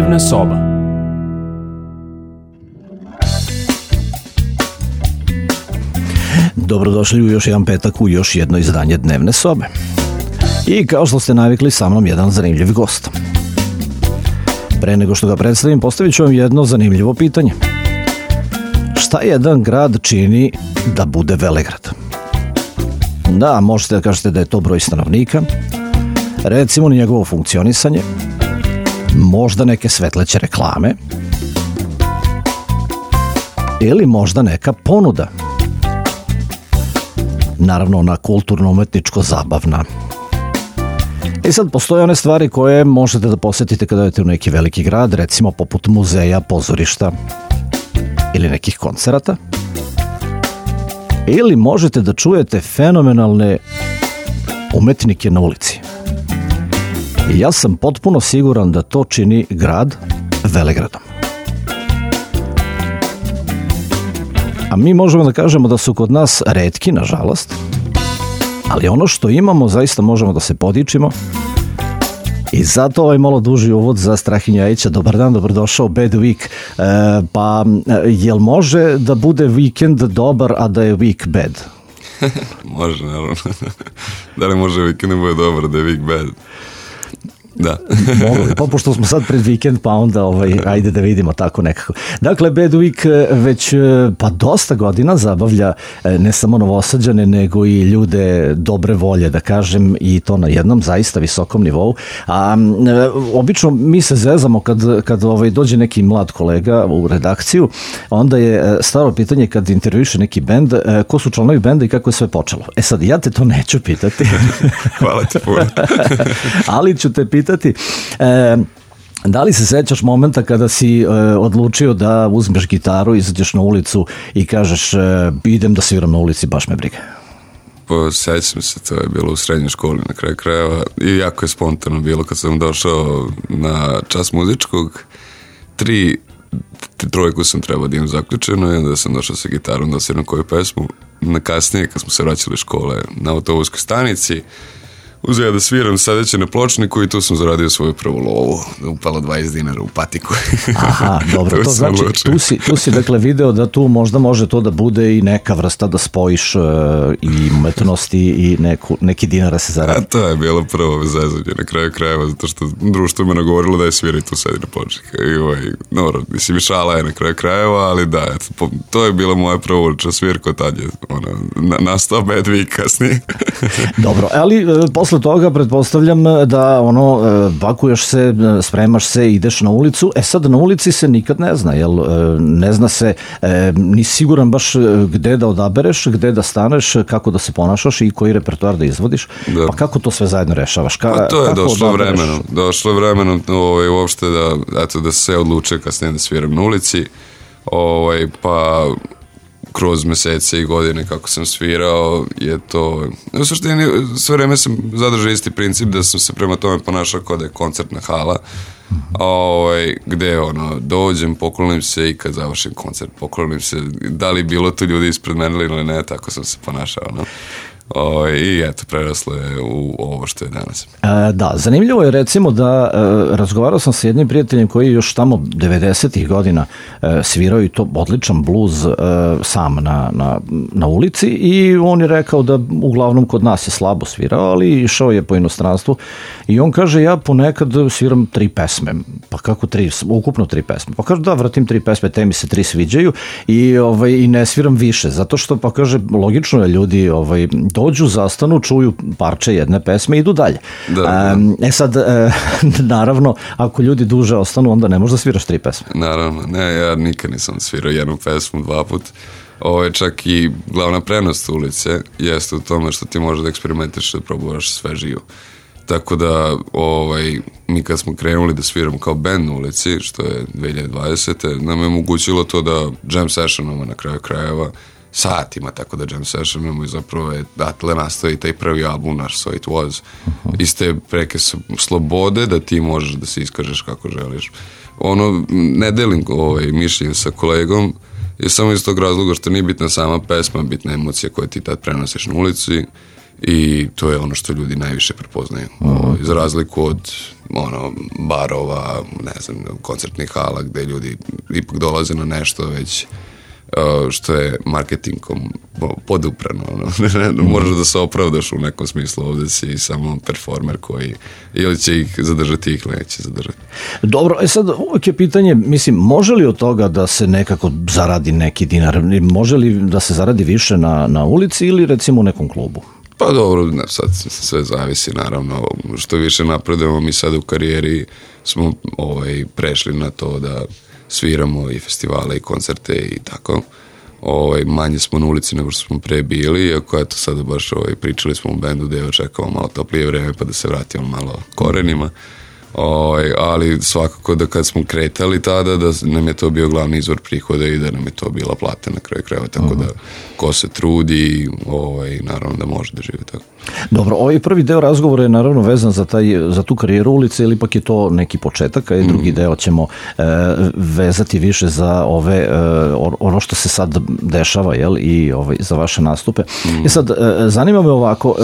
Dnevna soba. Dobrodošli u još jedan petak u još jedno izdanje Dnevne sobe. I kao što ste navikli, sa mnom jedan zanimljiv gost. Pre nego što ga predstavim, postavit ću vam jedno zanimljivo pitanje. Šta jedan grad čini da bude velegrad? Da, možete da kažete da je to broj stanovnika, recimo njegovo funkcionisanje, možda neke svetleće reklame, ili možda neka ponuda. Naravno, ona kulturno-umetničko-zabavna. I sad postoje one stvari koje možete da posetite kada idete u neki veliki grad, recimo poput muzeja, pozorišta ili nekih koncerata. Ili možete da čujete fenomenalne umetnike na ulici. I ja sam potpuno siguran da to čini grad velegradom. A mi možemo da kažemo da su kod nas retki, nažalost, ali ono što imamo zaista možemo da se podičimo. I zato ovaj malo duži uvod za Strahinju Ljajića. Dobar dan, dobrodošao, Bad Week. Pa, jel može da bude vikend dobar, a da je week bad? Može, naravno. Da li može vikend da bude dobar, da je week bad? Da. Mogli, pa pošto smo sad pred vikend, pa onda ajde da vidimo tako nekako. Dakle, Bad Week već pa dosta godina zabavlja ne samo Novosađane, nego i ljude dobre volje, da kažem, i to na jednom zaista visokom nivou. A obično mi se zezamo kad dođe neki mlad kolega u redakciju, onda je staro pitanje kad intervjuše neki bend, ko su članovi benda i kako je sve počelo. E sad, ja te to neću pitati. Hvala ti puno. Ali ću te pitati, da li se sećaš momenta kada si odlučio da uzmeš gitaru, izađeš na ulicu i kažeš idem da sviram na ulici, baš me briga? Pa sećam se, to je bilo u srednjoj školi na kraju krajeva i jako je spontano bilo kad sam došao na čas muzičkog. Trojku sam trebao da imam zaključeno i onda sam došao sa gitarom da sviram koju pesmu. Na kasnije, kad smo se vraćali iz škole na autobuskoj stanici, uzeo da sviram sedeći na pločniku i tu sam zaradio svoju prvu lovu. Upalo 20 dinara u patiku. Aha, dobro, to znači tu si dakle video da tu možda može to da bude i neka vrsta da spojiš i umetnosti i neki dinara se zaradi. A to je bilo prvo zezanje na kraju krajeva, zato što društvo me nagovorilo da je svira i tu sedi na pločniku. Dobro, mislim, šala je na kraju krajeva, ali da, to je bila moja prva ulična svirka, tad je nastao Bad Week kasnije. Dobro, ali posle toga pretpostavljam da pakuješ se, spremaš se, ideš na ulicu. E sad na ulici se nikad ne zna, jel? Ne zna se, nisi siguran baš gde da odabereš, gde da staneš, kako da se ponašaš i koji repertoar da izvodiš. Da. Pa kako to sve zajedno rešavaš? Pa to je došlo vremenom uopšte da se odluče kasnije da sviram na ulici, pa kroz mesece i godine kako sam svirao je to, u suštini sve vreme sam zadržao isti princip da sam se prema tome ponašao kao da je koncertna hala, gde dođem, poklonim se i kad završim koncert poklonim se, da li bilo to ljudi ispred mene ili ne, tako sam se ponašao, i eto, preraslo je u ovo što je danas. Da, zanimljivo je recimo da razgovarao sam sa jednim prijateljem koji je još tamo 90-ih godina svirao i to odličan bluz sam na ulici i on je rekao da uglavnom kod nas je slabo svirao, ali išao je po inostranstvu i on kaže ja ponekad sviram 3 pesme. Pa kako 3? Ukupno 3 pesme. Pa kaže da, vratim 3 pesme, te mi se 3 sviđaju i ne sviram više, zato što pa kaže logično je ljudi dođu, zastanu, čuju parče jedne pesme i idu dalje. Da. Sad, naravno, ako ljudi duže ostanu, onda ne možeš da sviraš 3 pesme. Naravno, ne, ja nikad nisam svirao jednu pesmu 2 put. Čak i glavna prednost ulice jeste u tome što ti možeš da eksperimentiš, da probuvaš sve živo. Tako da, mi kad smo krenuli da sviramo kao band na ulici, što je 2020. nam je omogućilo to da jam sessionamo na kraju krajeva satima, tako da jam sessionamo i zapravo je datle nastao i taj prvi album naš So It Was. Iz te preke slobode da ti možeš da se iskažeš kako želiš. Ne delim mišljenje sa kolegom, je samo iz tog razloga što nije bitna sama pesma, bitna emocija koja ti tad prenosiš na ulici i to je ono što ljudi najviše prepoznaju. Za razliku od barova, ne znam, koncertnih hala gde ljudi ipak dolaze na nešto već što je marketingom poduprano. Moraš da se opravdaš u nekom smislu, ovde si samo performer koji ili će ih zadržati ili neće zadržati. Dobro, sad uvijek je pitanje, mislim, može li od toga da se nekako zaradi neki dinar? Može li da se zaradi više na ulici ili recimo u nekom klubu? Pa dobro, sad sve zavisi naravno. Što više napredujemo mi sad u karijeri smo prešli na to da sviramo i festivale i koncerte i tako. Manje smo na ulici nego što smo pre bili, iako eto sada baš pričali smo u bendu da očekavamo malo toplije vreme pa da se vratimo malo korenima. Ali svakako da kad smo kretali tada da nam je to bio glavni izvor prihoda i da nam je to bila plata na kraju krajeva, tako da ko se trudi naravno da može da živi tako. Dobro, ovaj prvi deo razgovora je naravno vezan za tu karijeru ulice ili ipak je to neki početak, a i drugi deo ćemo vezati više za ono što se sad dešava, jel, i za vaše nastupe. I sad, zanima me ovako,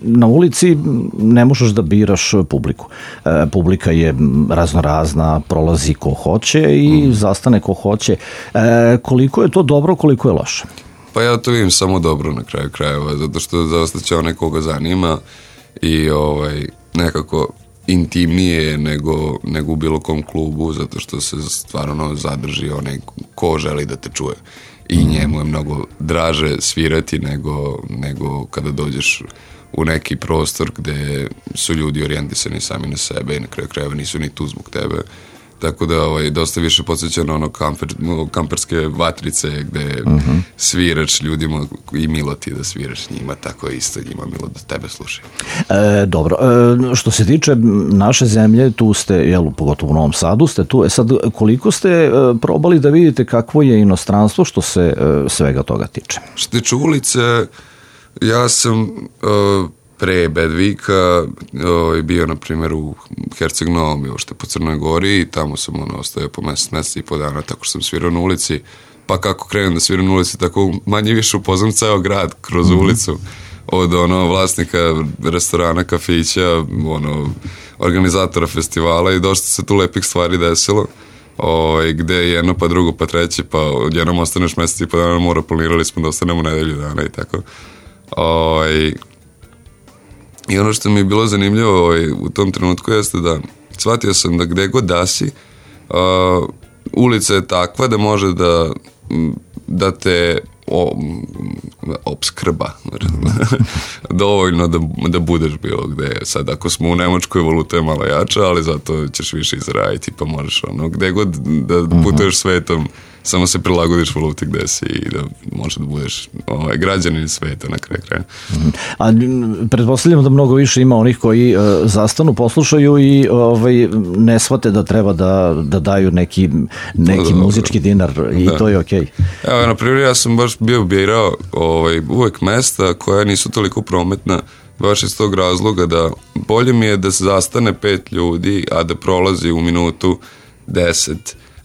na ulici ne možeš da biraš publiku. Publika je raznorazna, prolazi ko hoće i zastane ko hoće. Koliko je to dobro, koliko je loše? Pa ja to vidim samo dobro na kraju krajeva, zato što zaostaće onaj koga zanima i nekako intimnije nego u bilo kom klubu, zato što se stvarno zadrži onaj ko želi da te čuje. I njemu je mnogo draže svirati nego kada dođeš u neki prostor gde su ljudi orijentisani sami na sebe i na kraju krajeva nisu ni tu zbog tebe. Tako da dosta više podsjeća na kamperske vatrice gde sviraš ljudima i milo ti da sviraš njima, tako isto njima milo da tebe slušaju. Dobro, što se tiče naše zemlje, tu ste, pogotovo u Novom Sadu ste tu, sad koliko ste probali da vidite kakvo je inostranstvo što se svega toga tiče? Što tiče ulice, ja sam pre Bad Weeka bio, na primjer, u Herceg Novom, što je po Crnoj Gori, i tamo sam ostavio po mesec i po dana, tako što sam svirao na ulici, pa kako krenem da sviram na ulici, tako manje više upoznam ceo grad kroz ulicu, od vlasnika restorana, kafića, organizatora festivala, i dosta se tu lepih stvari desilo, gde je jedno pa drugo pa treće, pa jednom ostaneš mesec i po dana mora, planirali smo da ostanemo nedelju dana i tako. I ono što mi je bilo zanimljivo u tom trenutku jeste da shvatio sam da gde god da si, ulica je takva da može da te opskrba dovoljno da budeš bilo gde. Sad ako smo u Nemačkoj, valuta je malo jača, ali zato ćeš više izraditi, pa možeš gde god da putuješ svetom, samo se prilagodiš valuti gde si i da može da budeš građanin sveta na kraju kraja. A pretpostavljam da mnogo više ima onih koji zastanu, poslušaju i ne shvate da treba da daju neki muzički dinar i to je okej. Evo, na primjer, ja sam baš bio birao uvek mesta koja nisu toliko prometna, baš iz tog razloga da bolje mi je da se zastane 5 ljudi, a da prolazi u minutu 10,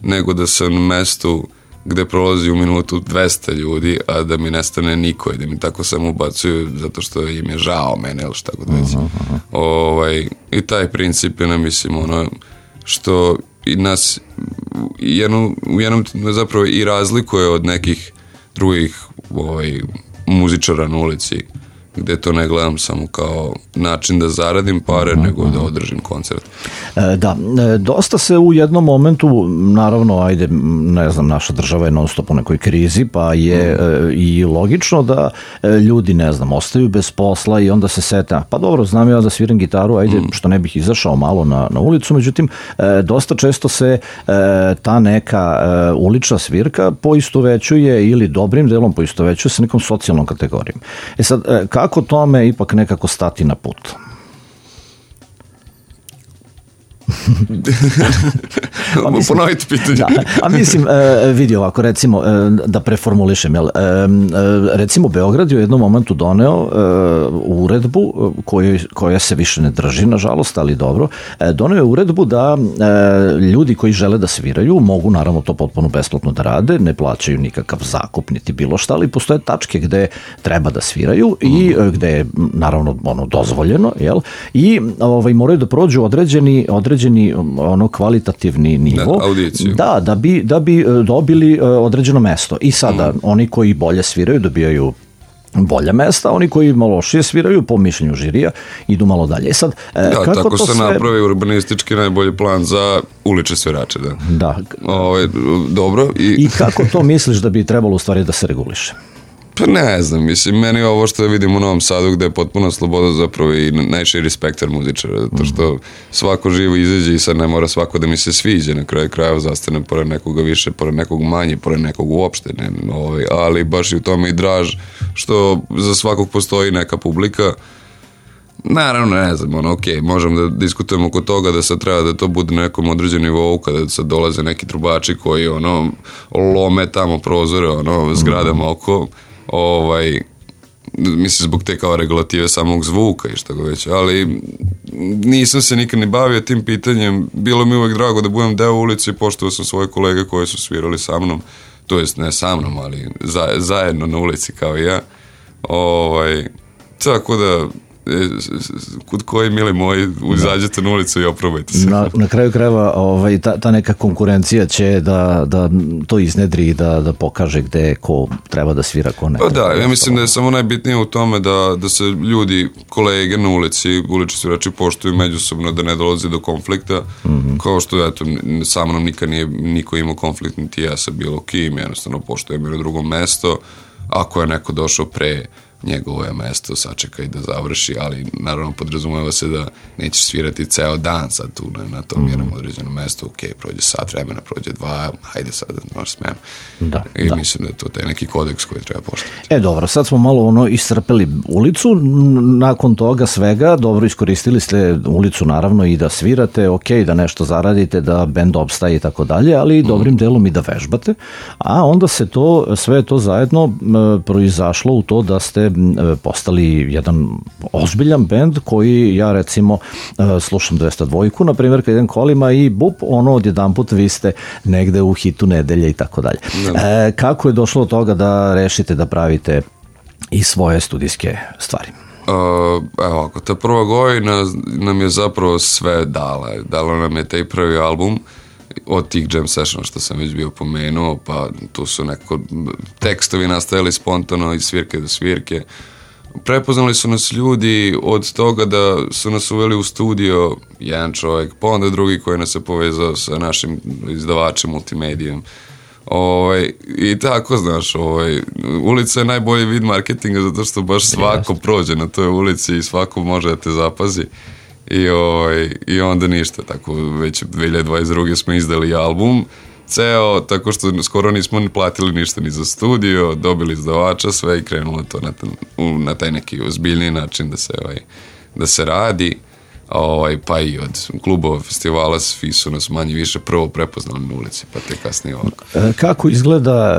nego da sam na mestu gde prolazi u minutu 200 ljudi, a da mi nestane niko i da mi tako samo ubacuju zato što im je žao mene ili šta god već. I taj princip je, mislim, što i nas u jednom zapravo i razlikuje od nekih drugih muzičara na ulici, gde to ne gledam samo kao način da zaradim pare, nego da održim koncert. Da, dosta se u jednom momentu, naravno, ne znam, naša država je non stop u nekoj krizi, pa je i logično da ljudi, ne znam, ostaju bez posla i onda se sete, pa dobro, znam ja da sviram gitaru, što ne bih izašao malo na ulicu, međutim, dosta često se ta neka ulična svirka poistovećuje ili dobrim delom poistovećuje sa nekom socijalnom kategorijom. Sad, kako tome ipak nekako stati na put? Ponovite pitanje. Da, a mislim, vidi ovako, recimo, da preformulišem, recimo Beograd je u jednom momentu doneo uredbu koja se više ne drži, nažalost, ali dobro, doneo je uredbu da ljudi koji žele da sviraju mogu naravno to potpuno besplatno da rade, ne plaćaju nikakav zakup niti bilo šta, ali postoje tačke gde treba da sviraju i gde je naravno dozvoljeno, jel? I moraju da prođu određeni kvalitativni nivo. Audiciju. Da bi dobili određeno mesto. I sada oni koji bolje sviraju dobijaju bolja mesta, oni koji malo lošije sviraju po mišljenju žirija idu malo dalje. I sad, kako tako to se napravi urbanistički najbolji plan za ulične svirače. Da. Dobro. I kako to misliš da bi trebalo u stvari da se reguliše? Pa ne znam, mislim, meni ovo što vidim u Novom Sadu gde je potpuno sloboda zapravo i najširi spektar muzičara, zato što svako živo izađe i sad ne mora svako da mi se sviđa, na kraju krajeva zastane pored nekoga više, pored nekog manje, pored nekog uopšte, ali baš i u tome i draž što za svakog postoji neka publika. Naravno, ne znam, možemo da diskutujemo oko toga da sad treba da to bude na nekom određenom nivou, kada sad dolaze neki trubači koji lome tamo prozore, zgradama oko, mislim zbog te kao regulative samog zvuka i šta go već, ali nisam se nikad ne bavio tim pitanjem, bilo mi uvek drago da budem deo ulice i poštovao sam svoje kolege koji su svirali sa mnom, to jest ne sa mnom, ali zajedno na ulici kao i ja, tako da kod koji, mili moji, izađete na ulicu i oprobajte se. Na kraju krajeva ta neka konkurencija će da to iznedri i da pokaže gde ko treba da svira, ko ne. Pa da, ja mislim da je samo najbitnije u tome da se ljudi, kolege na ulici, ulični svirači poštuju međusobno, da ne dolazi do konflikta, kao što, eto, sa mnom nikad nije niko imao konflikt, niti ja sa bilo kim, jednostavno poštujem jer je drugo mesto, ako je neko došao pre njegovo je mesto, sačekaj da završi, ali naravno podrazumeva se da nećeš svirati ceo dan sad tu na tom jednom određenom mestu, prođe sat vremena, prođe 2, hajde sad možeš smem. Mislim da je to taj neki kodeks koji treba poštovati. Dobro, sad smo malo iscrpeli ulicu, nakon toga svega, dobro iskoristili ste ulicu naravno i da svirate, da nešto zaradite, da bend opstaje i tako dalje, ali dobrim delom i da vežbate, a onda se sve to zajedno proizašlo u to da ste postali jedan ozbiljan bend koji ja recimo slušam 202, na primjer kad idem kolima i odjedan put vi ste negde u hitu nedelje i tako dalje. Kako je došlo do toga da rešite da pravite i svoje studijske stvari? Evo, ta prva godina nam je zapravo sve dala nam je taj prvi album od tih jam sessiona što sam već bio pomenuo, pa tu su neko tekstovi nastajali spontano iz svirke do svirke. Prepoznali su nas ljudi od toga da su nas uveli u studio jedan čovjek, pa onda drugi koji nas je povezao sa našim izdavačem multimedijom. I tako, znaš, ulica je najbolji vid marketinga zato što baš svako prođe na toj ulici i svako može da te zapazi. I onda ništa, tako već 2022. smo izdali album ceo, tako što skoro nismo ni platili ništa ni za studio, dobili izdavača, sve i krenulo to na taj neki ozbiljniji način da se radi, pa i od klubova, festivala, svi su nas manje više prvo prepoznali na ulici, pa te kasnije ovako. Kako izgleda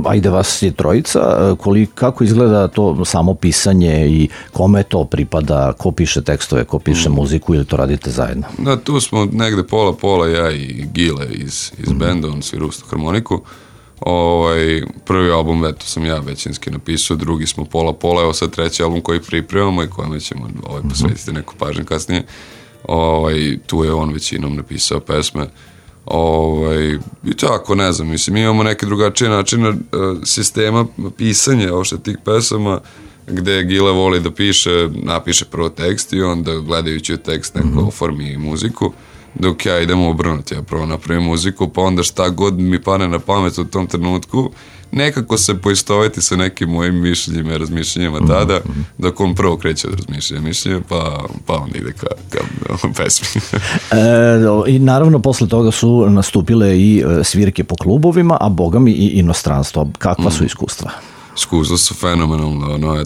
ajde vas je trojica, kako izgleda to samo pisanje i kome to pripada, ko piše tekstove, ko piše muziku ili to radite zajedno? Da, tu smo negde pola, ja i Gile iz benda, on svira uz harmoniku. Prvi album eto sam ja većinski napisao, drugi smo pola, evo sad treći album koji pripremamo i kojima ćemo posvetiti neku pažnju kasnije. Tu je on većinom napisao pesme. I tako, ne znam, mislim, imamo neke drugačije načine sistema pisanja ošte tih pesama, gde Gile voli da napiše prvo tekst i onda gledajući tekst neko oformi muziku, dok ja idem obrnuti, ja prvo napravim muziku, pa onda šta god mi pane na pamet u tom trenutku, nekako se poistoveti sa nekim mojim mišljenjima i razmišljenjima tada, dok on prvo kreće od mišljenja, pa onda ide ka pesmi. I naravno posle toga su nastupile i svirke po klubovima, a bogami i inostranstvo. Kakva su iskustva? Iskustva su fenomenalno,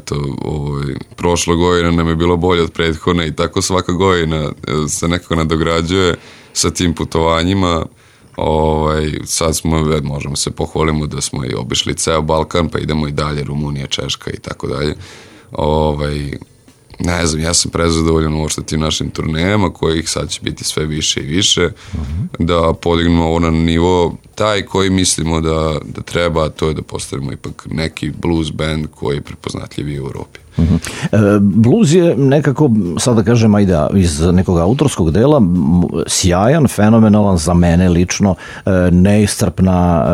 prošla godina nam je bilo bolje od prethodne i tako svaka godina se nekako nadograđuje sa tim putovanjima. Sad možemo se pohvalimo da smo i obišli ceo Balkan, pa idemo i dalje, Rumunija, Češka i tako dalje. Ne znam, ja sam prezadovoljan uopšte tim našim turnejama, kojih sad će biti sve više i više, da podignemo ovo na nivo taj koji mislimo da treba, a to je da postavimo ipak neki blues band koji je prepoznatljiv i u Europi. Blues je nekako, sad da kažem, ajde, iz nekog autorskog dela sjajan, fenomenalan za mene lično, neiscrpna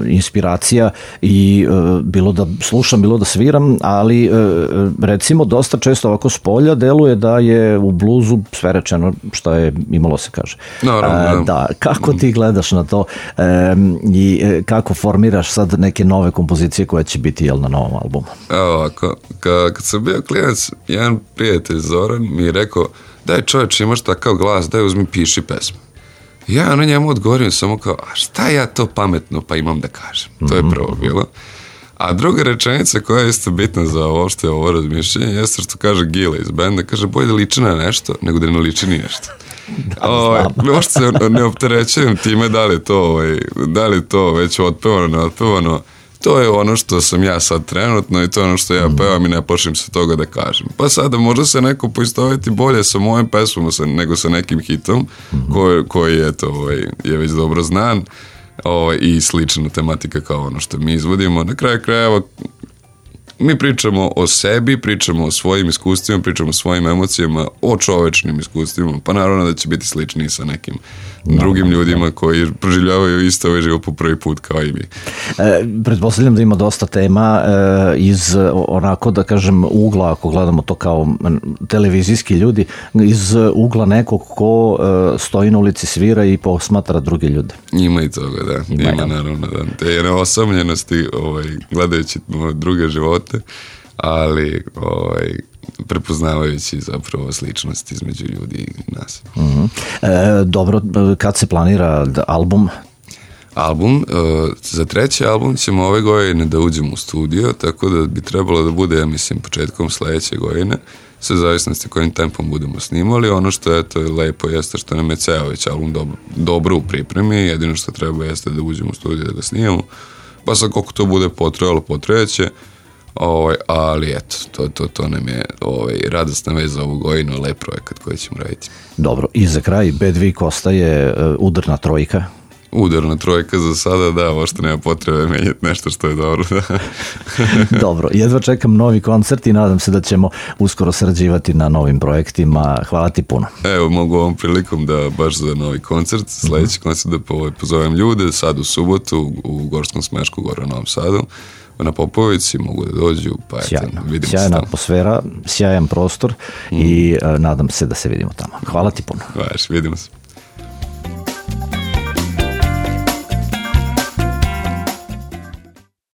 inspiracija i bilo da slušam, bilo da sviram, ali recimo dosta često ovako s polja deluje da je u bluzu sve rečeno što je imalo se kaže. Naravno, da. Kako ti gledaš na to i kako formiraš sad neke nove kompozicije koje će biti na novom albumu? Ovako, kad sam bio klinac, jedan prijatelj Zoran mi je rekao, daj čovječ, imaš takav glas, daj uzmi piši pesmu. Ja na njemu odgovorim samo kao, a šta ja to pametno pa imam da kažem? To je prvo bilo. A druga rečenica koja je isto bitna za ovo razmišljanje jeste što kaže Gile iz benda, kaže bolje da liči na nešto nego da ne liči ni nešto. Uopšte se ne opterećujem time da li to već otpevano, neotpevano. To je ono što sam ja sad trenutno i to je ono što ja pevam i ne plašim se toga da kažem. Pa sada možda se neko poistoveti bolje sa mojim pesmom nego sa nekim hitom koji je već dobro znan i slična tematika kao ono što mi izvodimo. Na kraju krajeva mi pričamo o sebi, pričamo o svojim iskustvima, pričamo o svojim emocijama, o čovečnim iskustvima, pa naravno da će biti slični sa nekim drugim ljudima koji proživljavaju isto ovaj život po prvi put kao i mi. Pretpostavljam da ima dosta tema iz onako da kažem ugla, ako gledamo to kao televizijski ljudi, iz ugla nekog ko stoji na ulici, svira i posmatra druge ljude. Ima i toga, da. Ima naravno, da. Te je neosamljenosti gledajući druge živote, ali prepoznavajući zapravo sličnost između ljudi i nas. Dobro, kad se planira album? Za treći album ćemo ove godine da uđemo u studio, tako da bi trebalo da bude, ja mislim, početkom sledeće godine, sve zavisnosti kojim tempom budemo snimali. Ono što je lepo jeste što nam je ceo već album dobro u pripremi, jedino što treba jeste da uđemo u studio da ga snimamo, pa sad koliko to bude potrebalo, potrebaće. Ali eto, to nam je radosna vez za ovu godinu, lep projekat koji ćemo raditi. Dobro, i za kraj Bad Week ostaje udarna trojka. Udarna trojka za sada, da, možda nema potrebe menjati nešto što je dobro. Da. Dobro, jedva čekam novi koncert i nadam se da ćemo uskoro sarađivati na novim projektima. Hvala ti puno. Evo, mogu ovom prilikom da baš za novi koncert, sledeći koncert da pozovem ljude, sad u subotu u Gorskom Smešku, gore u Novom Sadu, na Popovici, mogu da dođu, pa vidimo se. Sjajna atmosfera, sjajan prostor i nadam se da se vidimo tamo. Hvala ti puno. Vidimo se.